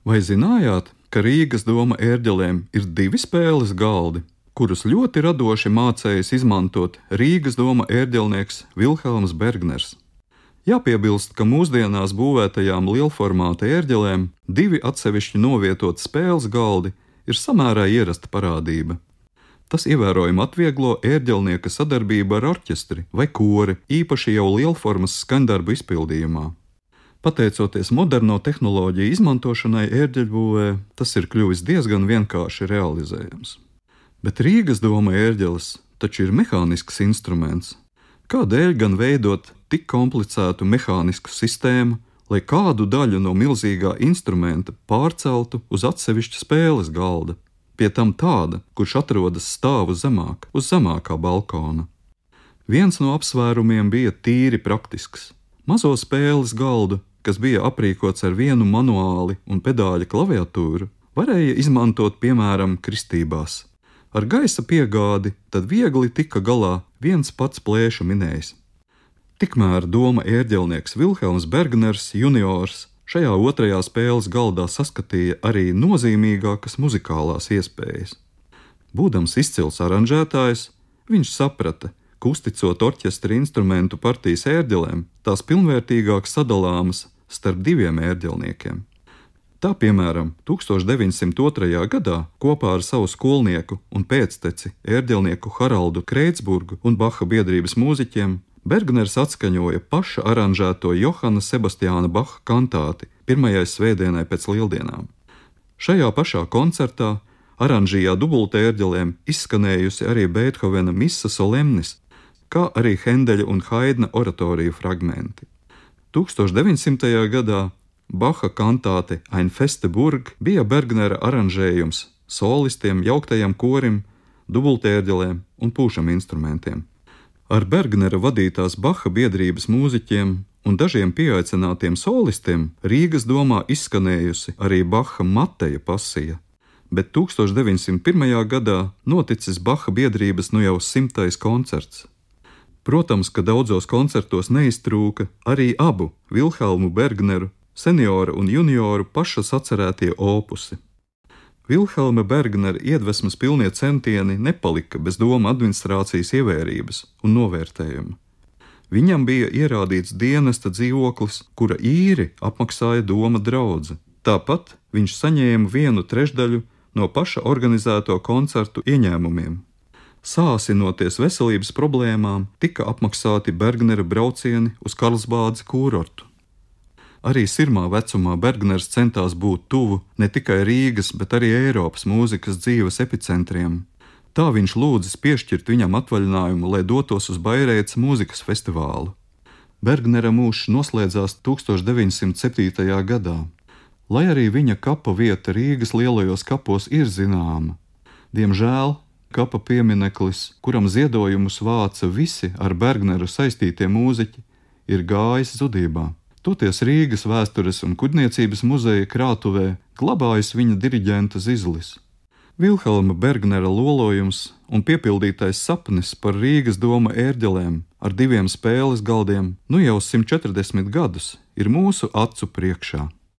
Vai zinājāt, ka Rīgas doma ērģelēm ir 2 spēles galdi, kurus ļoti radoši mācējis izmantot Rīgas doma ērģelnieks Vilhelms Bergners? Jāpiebilst, ka mūsdienās būvētajām lielformāta ērģelēm 2 atsevišķi novietoti spēles galdi ir samērā ierasta parādība. Tas ievērojami atvieglo ērģelnieka sadarbību ar orķestri vai kori, īpaši jau lielformas skaņdarbu izpildījumā. Pateicoties moderno tehnoloģiju izmantošanai ērģeļbūvē, tas ir kļuvis diezgan vienkārši realizējams. Bet Rīgas doma ērģeles taču ir mehānisks instruments. Kādēļ gan veidot tik komplicētu mehānisku sistēmu, lai kādu daļu no milzīgā instrumenta pārceltu uz atsevišķu spēles galda, pie tam tāda, kurš atrodas stāvu zemāk, uz zemākā balkona? Viens no apsvērumiem bija tīri praktisks. Mazo spēles galdu, kas bija aprīkots ar vienu manuāli un pedāļa klaviatūru, varēja izmantot piemēram kristībās. Ar gaisa piegādi tad viegli tika galā viens pats plēša minējs. Tikmēr doma ērģelnieks Vilhelms Bergners juniors šajā otrajā spēles galdā saskatīja arī nozīmīgākas muzikālās iespējas. Būdams izcils aranžētājs, viņš saprata, ka uzticot orķestra instrumentu partijas ērģelēm, tās pilnvērtīgāk sadalāmas starp 2 ērģelniekiem. Tā, piemēram, 1902. gadā kopā ar savu skolnieku un pēcteci ērģelnieku Haraldu Kreitsburgu un Baha biedrības mūziķiem Bergners atskaņoja paša aranžēto Johana Sebastiāna Baha kantāti pirmajai svētdienai pēc lieldienām. Šajā pašā koncertā aranžījā dubultērģelēm izskanējusi arī Beethovena Missa solemnis, kā arī Hendeļa un Haidna oratoriju fragmenti. 1900. gadā Baha kantāte Ein feste Burg bija Bergnera aranžējums solistiem, jauktajam korim, dubultērģelēm un pūšam instrumentiem. Ar Bergnera vadītās Baha biedrības mūziķiem un dažiem pieaicinātiem solistiem Rīgas domā izskanējusi arī Baha Mateja pasija, bet 1901. gadā noticis Baha biedrības nu jau 100. koncerts. Protams, ka daudzos koncertos neiztrūka arī abu Vilhelmu Bergneru, senioru un junioru pašas atcerētie opusi. Vilhelma Bergnera iedvesmas pilnie centieni nepalika bez doma administrācijas ievērības un novērtējuma. Viņam bija ierādīts dienesta dzīvoklis, kura īri apmaksāja doma draudze. Tāpat viņš saņēma 1/3 no paša organizēto koncertu ieņēmumiem. Sāsinoties veselības problēmām, tika apmaksāti Bergnera braucieni uz Karlsbādes kūrortu. Arī sirmā vecumā Bergners centās būt tuvu ne tikai Rīgas, bet arī Eiropas mūzikas dzīves epicentriem. Tā viņš lūdzis piešķirt viņam atvaļinājumu, lai dotos uz Baireitas mūzikas festivālu. Bergnera mūžs noslēdzās 1907. gadā. Lai arī viņa kapa vieta Rīgas lielajos kapos ir zināma, diemžēl kapa piemineklis, kuram ziedojumus vāca visi ar Bergneru saistītie mūziķi, ir gājis zudībā. Toties Rīgas vēstures un kuģniecības muzeja krātuvē glabājas viņa diriģenta zizlis. Vilhelma Bergnera lolojums un piepildītais sapnis par Rīgas doma ērģelēm ar 2 spēles galdiem nu jau 140 gadus ir mūsu acu priekšā.